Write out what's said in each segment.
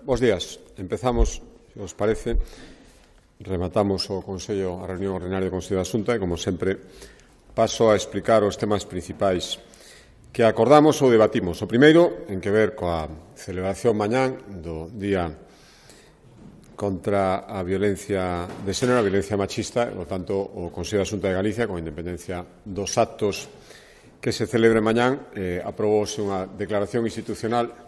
Bos días. Empezamos, se os parece, rematamos o Consello, a reunión ordinaria do Consello da Xunta e, como sempre, paso a explicar os temas principais que acordamos ou debatimos. O primeiro, en que ver coa celebración mañán do Día contra a violencia de xénero, a violencia machista, e, por tanto, o Consello da Xunta de Galicia, con independencia dos actos que se celebre mañán, aprobouse unha declaración institucional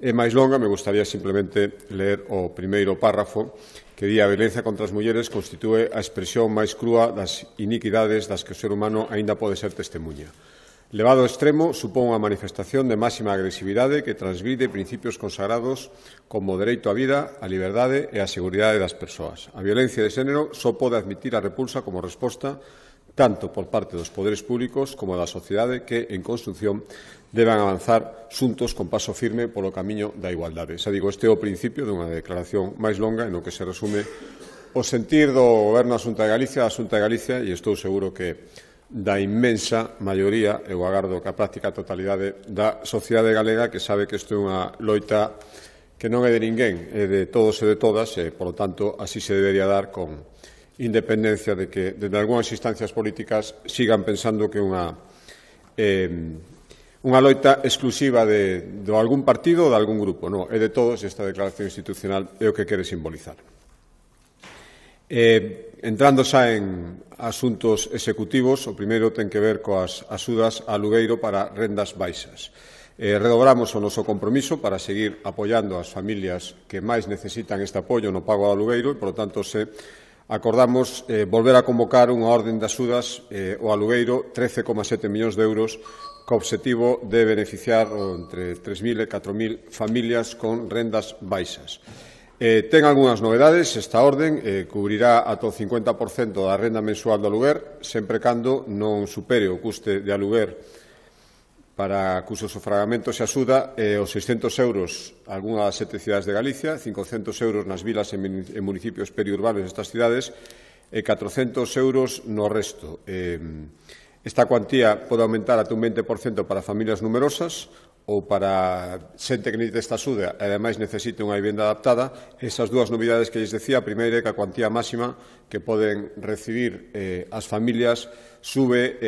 é máis longa. Me gustaría simplemente ler o primeiro párrafo que di: a violencia contra as mulleres constitúe a expresión máis crúa das iniquidades das que o ser humano aínda pode ser testemunha. Levado ao extremo, supón unha manifestación de máxima agresividade que transgride principios consagrados como o dereito á vida, a liberdade e a seguridade das persoas. A violencia de xénero só pode admitir a repulsa como resposta tanto por parte dos poderes públicos como da sociedade que, en construción, deban avanzar xuntos con paso firme polo camiño da igualdade. Xa digo, este é o principio dunha declaración máis longa no que se resume o sentir do Goberno da Xunta de Galicia, e estou seguro que da inmensa maioría, eu agardo que a práctica totalidade da sociedade galega, que sabe que isto é unha loita que non é de ninguén, é de todos e de todas, e, por lo tanto, así se debería dar con independencia de que, desde algunhas instancias políticas, sigan pensando que é unha loita exclusiva de algún partido ou de algún grupo. Non, é de todos, e esta declaración institucional é o que quere simbolizar. Entrando xa en asuntos executivos, o primeiro ten que ver coas axudas a alugueiro para rendas baixas. Redobramos o noso compromiso para seguir apoiando as familias que máis necesitan este apoio no pago do alugueiro e, por lo tanto, acordamos volver a convocar unha orden de axudas ao alugueiro, 13,7 millóns de euros, co obxectivo de beneficiar entre 3.000 e 4.000 familias con rendas baixas. Ten algunhas novedades. Esta orden cubrirá ata o 50% da renda mensual do aluguer, sempre cando non supere o custe de aluguer para cuso sufragamento se axuda os 600 euros algunha das 7 cidades de Galicia, 500 euros nas vilas e municipios periurbanos destas cidades e 400 euros no resto. Esta cuantía pode aumentar ata un 20% para familias numerosas ou para xente que necesita esta axuda e, ademais, necesite unha vivenda adaptada. Esas dúas novidades que lles decía, a primeira é que a cuantía máxima que poden recibir as familias sube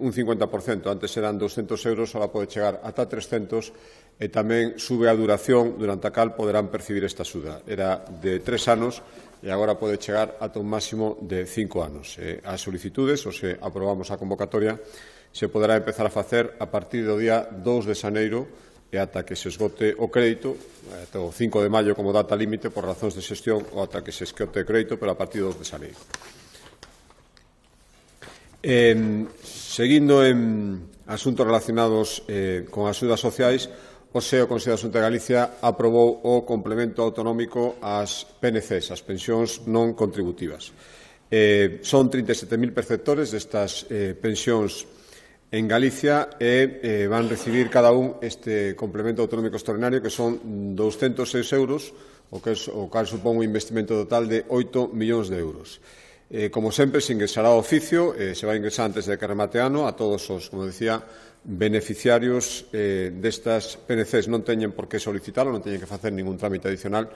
un 50%. Antes eran 200 euros, ahora pode chegar ata 300, e tamén sube a duración durante a cal poderán percibir esta axuda. Era de 3 anos e agora pode chegar ata un máximo de 5 anos. As solicitudes, ou se aprobamos a convocatoria, se poderá empezar a facer a partir do día 2 de xaneiro e ata que se esgote o crédito, ata o 5 de maio como data límite por razóns de xestión, ou ata que se esgote o crédito, pero a partir do 2 de xaneiro. Seguindo en asuntos relacionados con as axudas sociais, o Consello da Xunta de Galicia aprobou o complemento autonómico ás PNCs, as pensións non contributivas. Son 37.000 perceptores destas pensións en Galicia e van recibir cada un este complemento autonómico extraordinario, que son 206 euros, o cal supón un investimento total de 8 millóns de euros. Como sempre, se ingresará ao oficio, se vai ingresar antes de que remate ano a todos os, como decía, beneficiarios destas PNCs. Non teñen por que solicitarlo, non teñen que facer ningún trámite adicional,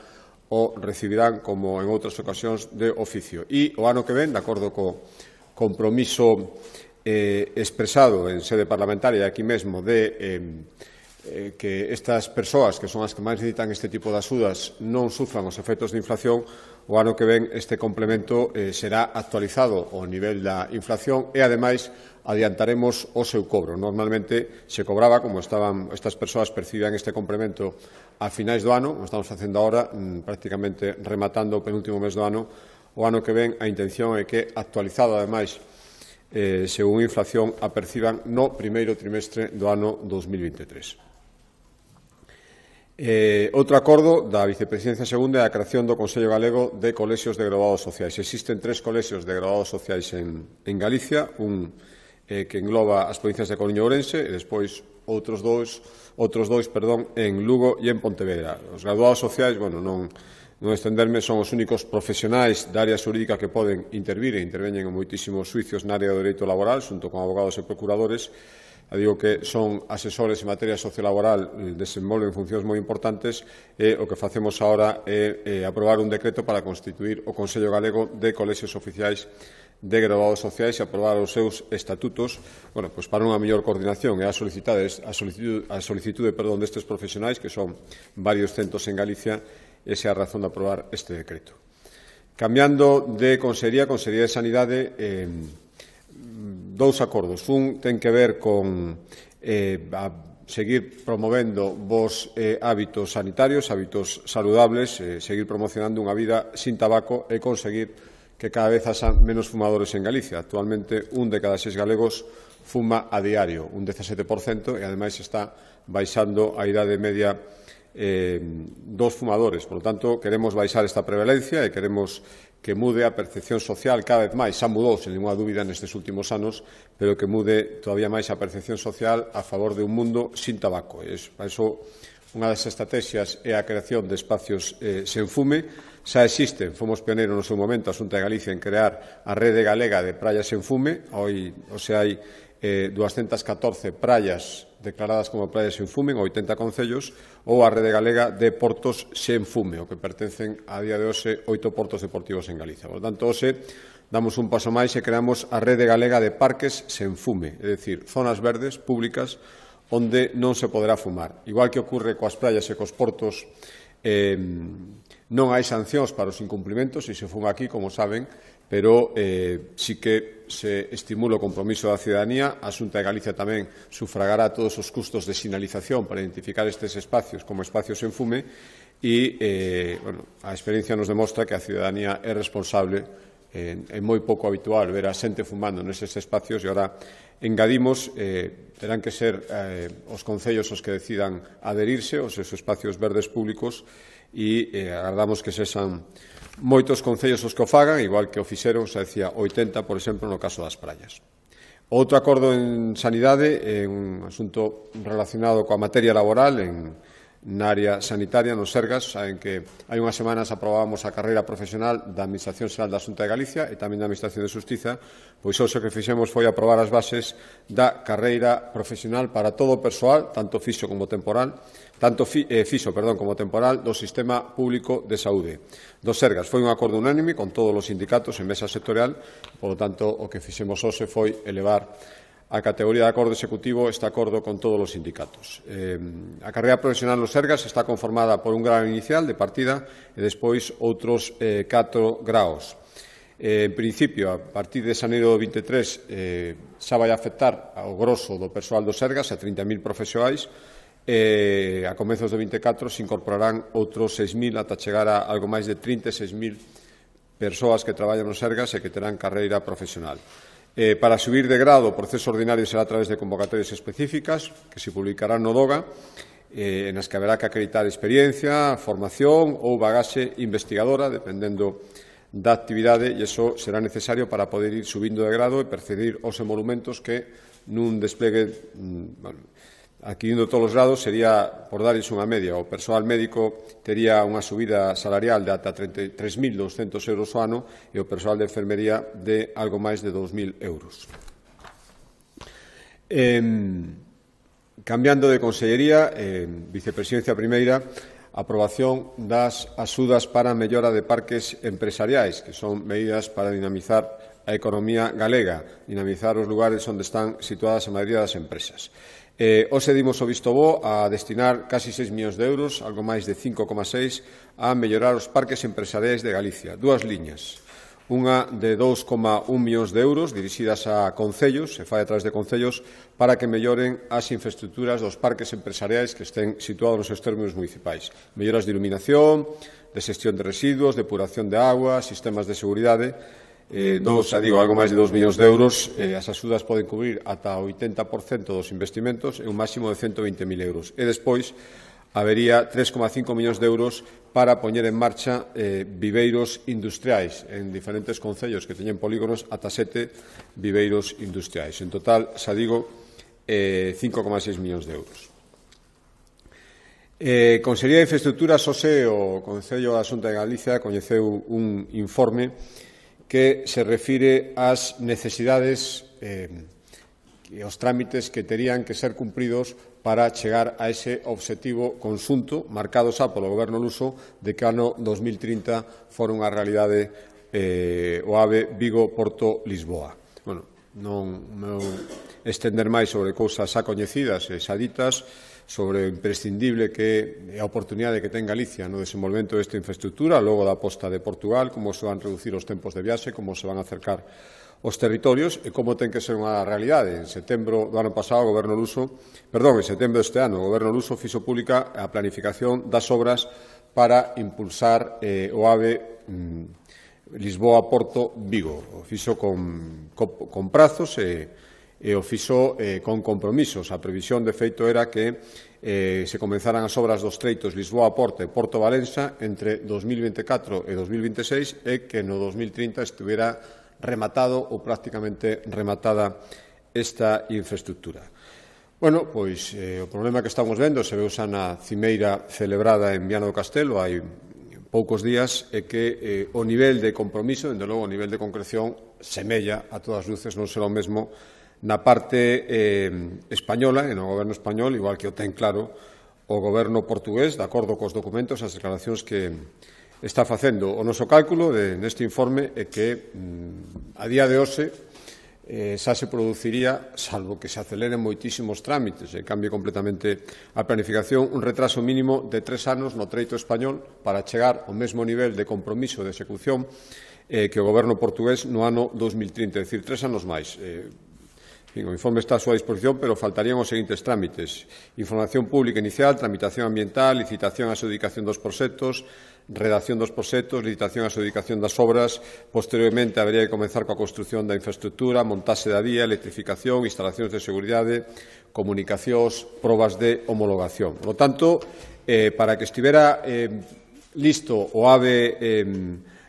o recibirán, como en outras ocasións, de oficio. E o ano que ven, de acordo co compromiso expresado en sede parlamentaria aquí mesmo de que estas persoas, que son as que máis necesitan este tipo de axudas, non sufran os efectos de inflación, o ano que ven este complemento será actualizado ao nivel da inflación e, ademais, adiantaremos o seu cobro. Normalmente se cobraba, como estaban estas persoas percibían este complemento a finais do ano, como estamos facendo agora, prácticamente rematando o penúltimo mes do ano. O ano que ven a intención é que, actualizado, ademais, según a inflación, a perciban no primeiro trimestre do ano 2023. Outro acordo da Vicepresidencia Segunda é a creación do Consello Galego de Colexios de Graduados Sociais. Existen 3 colexios de graduados sociais en Galicia, un que engloba as provincias de Coruña e Ourense, e despois outros dois en Lugo e en Pontevedra. Os graduados sociais, non estenderme, son os únicos profesionais da área xurídica que poden intervir e interveñen en moitísimos xuicios na área do dereito laboral, xunto con abogados e procuradores. digo que son asesores en materia sociolaboral, desenvolven funcións moi importantes, e o que facemos agora é aprobar un decreto para constituir o Consello Galego de Colexios Oficiais de Graduados Sociais e aprobar os seus estatutos, para unha mellor coordinación e a solicitude destes profesionais, que son varios centros en Galicia. Esa é a razón de aprobar este decreto. Cambiando de Consellería de Sanidade, dous acordos. Un ten que ver con seguir promovendo bons hábitos sanitarios, hábitos saludables, seguir promocionando unha vida sin tabaco e conseguir que cada vez haxa menos fumadores en Galicia. Actualmente, 1 de cada 6 galegos fuma a diario, un 17%, e ademais está baixando a idade media dos fumadores. Por lo tanto, queremos baixar esta prevalencia e queremos que mude a percepción social cada vez máis. Xa mudou, sen ninguna dúbida, nestes últimos anos, pero que mude todavía máis a percepción social a favor de un mundo sin tabaco. Para iso, unha das estrategias é a creación de espacios sen fume. Xa existen, fomos pioneiros no seu momento, a Xunta de Galicia, en crear a Rede Galega de Praias sen fume. Hoxe hai 214 praias declaradas como praias sen fume en 80 concellos, ou a Rede Galega de Portos sen fume, o que pertencen a día de hoxe 8 portos deportivos en Galicia. Por tanto, hoxe damos un paso máis e creamos a Rede Galega de Parques sen fume, é dicir, zonas verdes públicas onde non se poderá fumar. Igual que ocurre coas praias e cos portos, non hai sancións para os incumplimentos se se fuma aquí, como saben, pero sí que se estimula o compromiso da cidadanía. A Xunta de Galicia tamén sufragará todos os custos de sinalización para identificar estes espacios como espacios sen fume e a experiencia nos demostra que a cidadanía é responsable. É moi pouco habitual ver a xente fumando neses espacios e agora engadimos, terán que ser os concellos os que decidan adherirse aos seus espacios verdes públicos e agardamos que sexan moitos concellos os que o fagan, igual que o fixeron, xa decía, 80, por exemplo, no caso das praias. Outro acordo en sanidade é un asunto relacionado coa materia laboral na área sanitaria, nos Sergas. Saben que hai unhas semanas aprobábamos a carreira profesional da Administración Xeral da Xunta de Galicia e tamén da Administración de Xustiza, pois hoxe o que fixemos foi aprobar as bases da carreira profesional para todo o persoal, tanto fixo como temporal, como temporal, do Sistema Público de Saúde dos Sergas. Foi un acordo unánime con todos os sindicatos en mesa sectorial, por lo tanto, o que fixemos hoxe foi elevar a categoría de acordo executivo este acordo con todos os sindicatos. A carreira profesional nos Sergas está conformada por un grao inicial de partida e despois outros 4 graos. En principio, a partir de xaneiro do 23, xa vai afectar ao grosso do persoal dos Sergas, a 30.000 profesionais, e a comezos do 24 se incorporarán outros 6.000 ata chegar a algo máis de 36.000 persoas que traballan nos Sergas e que terán carreira profesional. Para subir de grado, o proceso ordinario será a través de convocatorias específicas que se publicarán no DOGA, en as que haberá que acreditar experiencia, formación ou bagaxe investigadora, dependendo da actividade, e iso será necesario para poder ir subindo de grado e percibir os emolumentos que nun desplegue, adquirindo todos os grados, sería, por darles unha media, o persoal médico tería unha subida salarial de ata 33.200 euros ao ano e o persoal de enfermería de algo máis de 2.000 euros. Cambiando de consellería, vicepresidencia primeira, aprobación das axudas para a mellora de parques empresariais, que son medidas para dinamizar a economía galega, dinamizar os lugares onde están situadas a maioría das empresas. Hoxe dimos o visto bo a destinar casi 6 millóns de euros, algo máis de 5,6, a mellorar os parques empresariais de Galicia. Dúas liñas. Unha de 2,1 millóns de euros dirixidas a concellos, se fai a través de concellos, para que melloren as infraestructuras dos parques empresariais que estén situados nos seus términos municipais. Melloras de iluminación, de xestión de residuos, depuración de agua, sistemas de seguridade. Algo máis de 2 millóns de euros. As axudas poden cubrir ata o 80% dos investimentos e un máximo de 120.000 euros. E despois habería 3,5 millóns de euros para poñer en marcha viveiros industriais en diferentes concellos que teñen polígonos, ata 7 viveiros industriais. En total, xa digo, 5,6 millóns de euros. Consellería de Infraestructuras, hoxe o Concello da Xunta de Galicia coñeceu un informe que se refire ás necesidades os trámites que terían que ser cumpridos para chegar a ese obxectivo conxunto marcado xa polo Goberno luso de que ano 2030 fora unha realidade o AVE Vigo-Porto-Lisboa. Bueno, non estender máis sobre cousas xa coñecidas e xa ditas, sobre o imprescindible que é a oportunidade que ten Galicia no desenvolvemento desta infraestructura, logo da aposta de Portugal, como se van reducir os tempos de viaxe, como se van a acercar os territorios e como ten que ser unha realidade. En setembro do ano pasado, en setembro deste ano, o Goberno luso fixo pública a planificación das obras para impulsar o AVE Lisboa-Porto-Vigo. O fixo con prazos e o fixo con compromisos. A previsión, de feito, era que se comenzaran as obras dos treitos Lisboa-Porto e Porto-Valença entre 2024 e 2026 e que no 2030 estuvera rematado ou prácticamente rematada esta infraestructura. Bueno, pois o problema que estamos vendo se veu xa na cimeira celebrada en Viana do Castelo hai poucos días é que o nivel de compromiso, dende logo o nivel de concreción, semella a todas luces non será o mesmo na parte española e no goberno español, igual que o ten claro o goberno portugués, de acordo cos documentos, as declaracións que está facendo. O noso cálculo neste informe é que a día de hoxe xa se produciría, salvo que se aceleren moitísimos trámites e cambie completamente a planificación, un retraso mínimo de 3 anos no treito español para chegar ao mesmo nivel de compromiso de execución que o goberno portugués no ano 2030, é dicir, 3 anos máis. O informe está a súa disposición, pero faltarían os seguintes trámites: información pública inicial, tramitación ambiental, licitación e adxudicación dos proxectos, redacción dos proxectos, licitación e adxudicación das obras. Posteriormente, habería que comenzar coa construción da infraestructura, montaxe da vía, electrificación, instalacións de seguridade, comunicacións, probas de homologación. Por lo tanto, para que estivera listo o AVE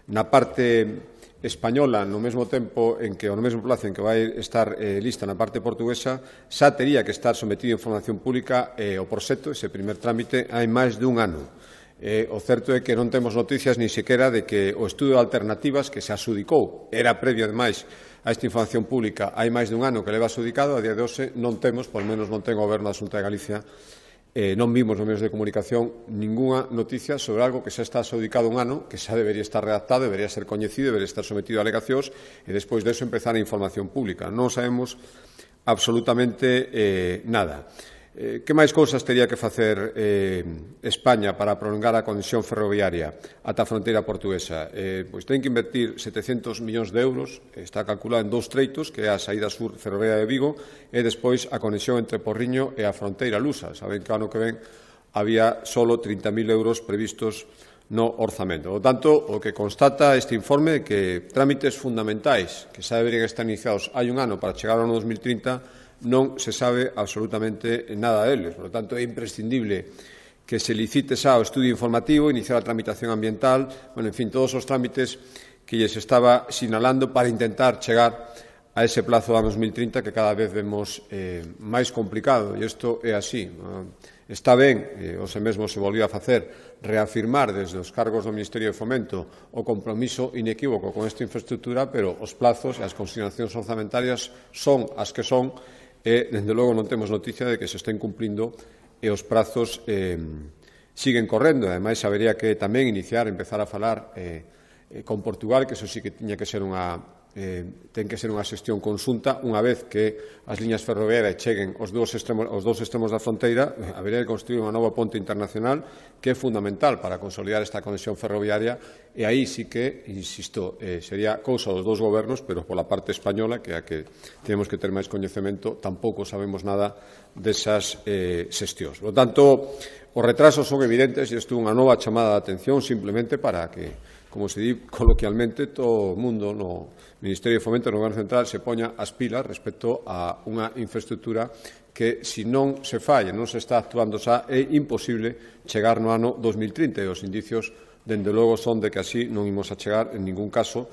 na parte española no mesmo tempo en que, ao mesmo plazo en que vai estar lista na parte portuguesa, xa tería que estar sometido a información pública o proxecto, ese primer trámite, hai máis dun ano. O certo é que non temos noticias ni sequera de que o estudo de alternativas que se adxudicou, era previo, ademais, a esta información pública hai máis dun ano que leva adxudicado, a día de hoxe non temos, por menos non ten o Goberno da Xunta de Galicia, non vimos nos medios de comunicación ningunha noticia sobre algo que xa está adxudicado un ano, que xa debería estar redactado, debería ser coñecido, debería estar sometido a alegacións e despois deso empezar a información pública. Non sabemos absolutamente nada. Que máis cousas tería que facer España para prolongar a conexión ferroviaria ata a fronteira portuguesa? Pois ten que invertir 700 millóns de euros, está calculado en 2 treitos, que é a saída sur ferroviaria de Vigo e despois a conexión entre Porriño e a fronteira lusa. Saben que ano que ven había solo 30.000 euros previstos no orzamento. Por tanto, o que constata este informe é que trámites fundamentais que xa deberían estar iniciados hai un ano para chegar ao ano 2030 non se sabe absolutamente nada deles. Por lo tanto, é imprescindible que se licite xa o estudio informativo, iniciar a tramitación ambiental, bueno, en fin, todos os trámites que lles estaba sinalando para intentar chegar a ese plazo do ano 2030 que cada vez vemos máis complicado, e isto é así. Está ben, hoxe mesmo se volvió a facer, reafirmar desde os cargos do Ministerio de Fomento o compromiso inequívoco con esta infraestructura, pero os plazos e as consignacións orzamentarias son as que son e, dende logo, non temos noticia de que se estén cumprindo e os prazos siguen correndo. Ademais, habería que tamén empezar a falar con Portugal, que eso sí que tiña que ser ten que ser unha xestión conxunta. Unha vez que as liñas ferroviarias cheguen aos dous extremos da fronteira, habería que construir unha nova ponte internacional que é fundamental para consolidar esta conexión ferroviaria, e aí sí que, insisto, sería cousa dos dous gobernos, pero pola parte española, que é a que temos que ter máis coñecemento, tampouco sabemos nada desas xestións. Por tanto, os retrasos son evidentes e isto é unha nova chamada de atención simplemente para que, como se di coloquialmente, todo o mundo no Ministerio de Fomento, no Goberno Central, se poña as pilas respecto a unha infraestructura que, se non se falla, non se está actuando xa, é imposible chegar no ano 2030. E os indicios, dende logo, son de que así non imos a chegar en ningún caso,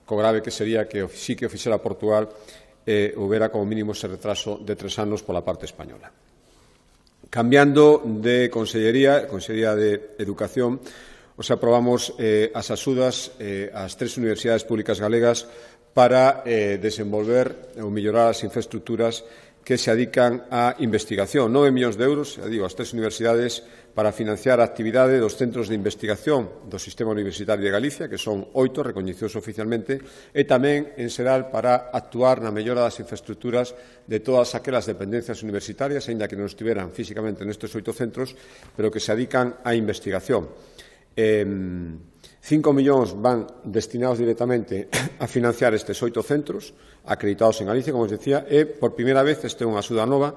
co grave que sería que sí que o fixera Portugal houbera como mínimo ese retraso de 3 anos pola parte española. Cambiando de consellería de Educación, aprobamos as axudas ás 3 universidades públicas galegas para desenvolver ou mellorar as infraestructuras que se adican á investigación. 9 millóns de euros, xa digo, as 3 universidades para financiar a actividade dos centros de investigación do Sistema Universitario de Galicia, que son 8 recoñecidos oficialmente, e tamén, en xeral, para actuar na mellora das infraestructuras de todas aquelas dependencias universitarias, aínda que non estiveran físicamente nestes 8 centros, pero que se adican á investigación. 5 millóns van destinados directamente a financiar estes 8 centros acreditados en Galicia, como os decía, e, por primeira vez, este é unha axuda nova.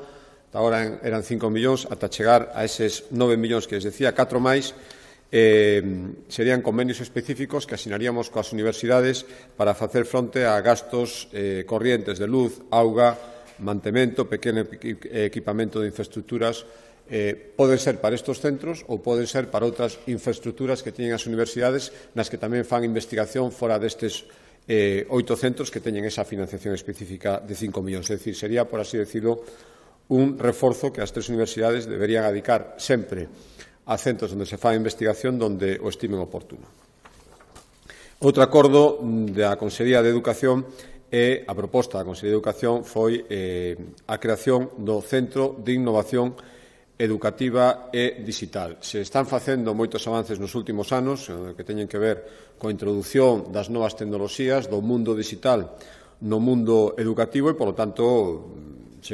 Agora eran 5 millóns, ata chegar a eses 9 millóns que les decía, 4 máis, serían convenios específicos que asinaríamos coas universidades para facer fronte a gastos corrientes de luz, auga, mantemento, pequeno equipamento de infraestructuras. Poden ser para estes centros ou poden ser para outras infraestructuras que teñen as universidades nas que tamén fan investigación fora destes 8 centros que teñen esa financiación específica de 5 millóns. É dicir, sería, por así decirlo, un reforzo que as 3 universidades deberían adicar sempre a centros onde se fa investigación donde o estimen oportuno. Outro acordo da Consellería de Educación e a proposta da Consellería de Educación foi a creación do Centro de Innovación Educativa e Digital. Se están facendo moitos avances nos últimos anos que teñen que ver coa introdución das novas tecnoloxías do mundo digital no mundo educativo e, polo tanto,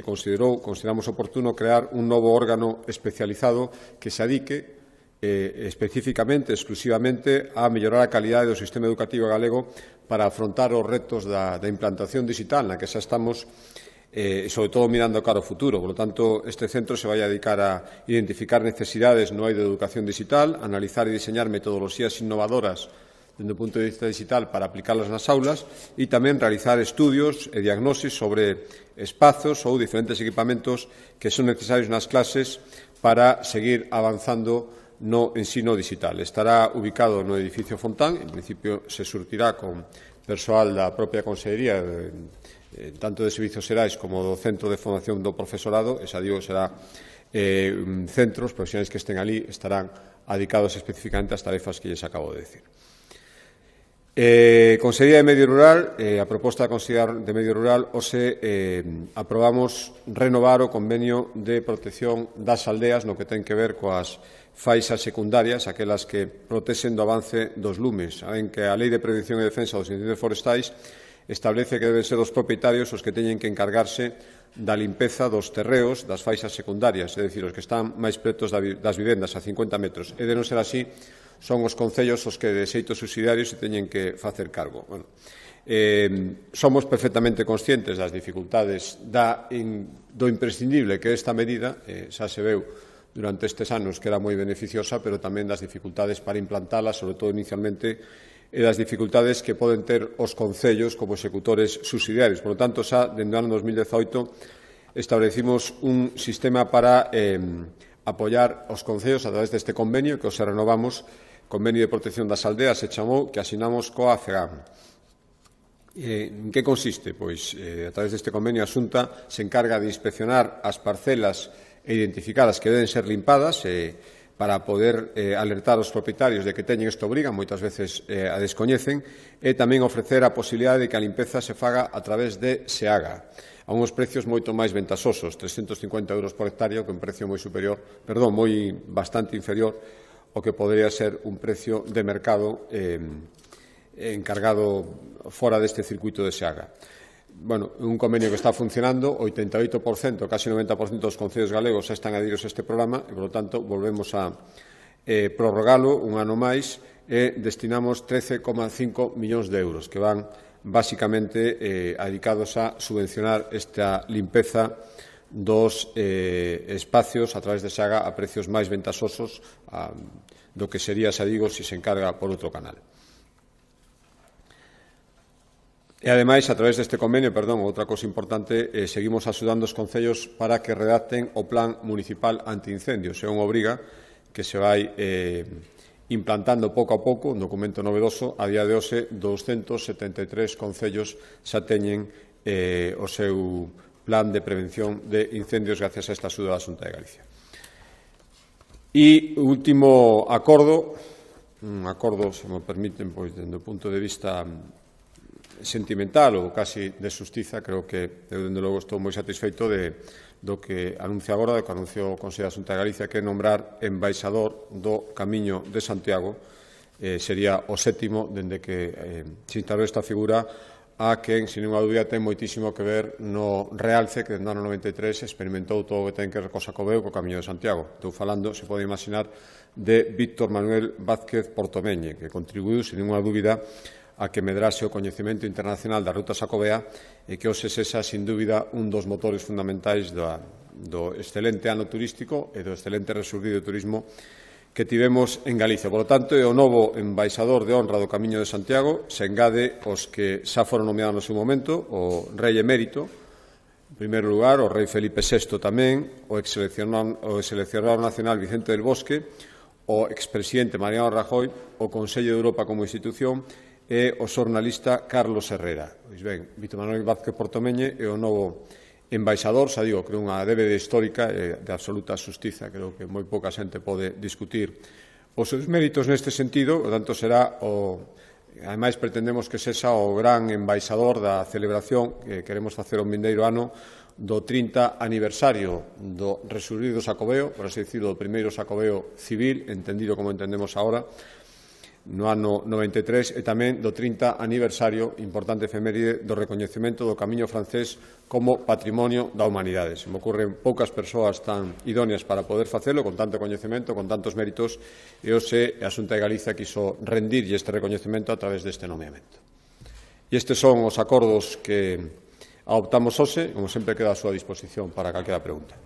consideramos oportuno crear un novo órgano especializado que se adique especificamente, exclusivamente, a mellorar a calidade do sistema educativo galego para afrontar os retos da implantación digital na que xa estamos, sobre todo mirando cara ao futuro. Por lo tanto, este centro se vai a dedicar a identificar necesidades no eido de educación digital, analizar e diseñar metodoloxías innovadoras dende o punto de vista digital para aplicarlas nas aulas e tamén realizar estudios e diagnosis sobre espazos ou diferentes equipamentos que son necesarios nas clases para seguir avanzando no ensino digital. Estará ubicado no edificio Fontán, en principio se surtirá con persoal da propia Consellería, tanto de Servizos Xerais como do Centro de Formación do Profesorado, e xa digo, será centros, profesionais que estén ali, estarán adicados especificamente ás tarefas que lles acabo de decir. Consellería de Medio Rural, a proposta da Consellería de Medio Rural, hoxe aprobamos renovar o convenio de protección das aldeas no que ten que ver coas faixas secundarias, aquelas que protexen do avance dos lumes. Saben que a Lei de Prevención e Defensa dos Incendios Forestais establece que deben ser os propietarios os que teñen que encargarse da limpeza dos terreos das faixas secundarias, é dicir, os que están máis pretos das vivendas, a 50 metros. E de non ser así, son os concellos os que de xeito subsidiario se teñen que facer cargo. Bueno, somos perfectamente conscientes das dificultades do imprescindible que esta medida, xa se veu durante estes anos que era moi beneficiosa, pero tamén das dificultades para implantala, sobre todo inicialmente, e das dificultades que poden ter os concellos como executores subsidiarios. Por lo tanto, xa, dende o ano 2018, establecimos un sistema para apoiar os concellos a través deste convenio que os renovamos, Convenio de Protección das Aldeas, se chamou, que asinamos coa FEGAM. En que consiste? Pois, a través deste convenio, a Xunta se encarga de inspeccionar as parcelas e identificar as que deben ser limpadas para poder alertar os propietarios de que teñen esta obriga, moitas veces a descoñecen, e tamén ofrecer a posibilidade de que a limpeza se faga a través de SEAGA, a uns precios moito máis ventaxosos, 350 euros por hectárea, que é un precio bastante inferior ao que podería ser un precio de mercado encargado fora deste circuito de SEAGA. Bueno, un convenio que está funcionando, 88%, casi 90% dos concellos galegos xa están adheridos a este programa e, por lo tanto, volvemos a prorrogalo un ano máis e destinamos 13,5 millóns de euros que van basicamente dedicados a subvencionar esta limpeza dos espacios a través de SEAGA a precios máis ventaxosos do que sería, xa digo, se encarga por outro canal. E, ademais, a través deste convenio, outra cousa importante, seguimos axudando os concellos para que redacten o Plan Municipal Antiincendios. É unha obriga que se vai implantando pouco a pouco, un documento novedoso. A día de hoxe, 273 concellos xa teñen o seu plan de prevención de incendios gracias a esta axuda da Xunta de Galicia. E o último acordo, un acordo, se me permiten, pois, dende o punto de vista sentimental ou casi de xustiza. Creo que, eu, dende logo, estou moi satisfeito do que anuncia agora, do que anunciou o Consello da Xunta de Galicia, que é nombrar embaixador do Camiño de Santiago. Sería o 7º dende que se instalou esta figura, a quen, sin ninguna dúbida, ten moitísimo que ver no realce que, no ano 93, experimentou todo o que ten que ver co Xacobeo e co Camiño de Santiago. Estou falando, se pode imaginar, de Víctor Manuel Vázquez Portomeñe, que contribuiu, sin ninguna dúbida, a que medrase o coñecemento internacional da ruta xacobea e que hoxe sexa, sin dúbida, un dos motores fundamentais do excelente ano turístico e do excelente resurdido turismo que tivemos en Galicia. Por lo tanto, é o novo embaixador de honra do Camiño de Santiago, se engade os que xa foron nomeados no seu momento, o rei emérito, en primeiro lugar, o rei Felipe VI tamén, o exseleccionador nacional Vicente del Bosque, o expresidente Mariano Rajoy, o Consello de Europa como institución e o xornalista Carlos Herrera. Pois ben, Víctor Manuel Vázquez Portomeñe é o novo embaixador, xa digo, creo unha débeda histórica e de absoluta xustiza. Creo que moi pouca xente pode discutir os seus méritos neste sentido, por tanto será ademais pretendemos que sexa o gran embaixador da celebración que queremos facer o vindeiro ano do 30 aniversario do resurdido Xacobeo, por así dicirlo, do primeiro Xacobeo civil, entendido como entendemos agora, no ano 93, e tamén do 30 aniversario, importante efeméride, do recoñecemento do Camiño francés como patrimonio da humanidade. Se me ocurren poucas persoas tan idóneas para poder facelo, con tanto coñecemento, con tantos méritos, e hoxe a Xunta de Galicia quiso rendirlle este recoñecemento a través deste nomeamento. E estes son os acordos que adoptamos hoxe, como sempre queda a súa disposición para calquera pregunta.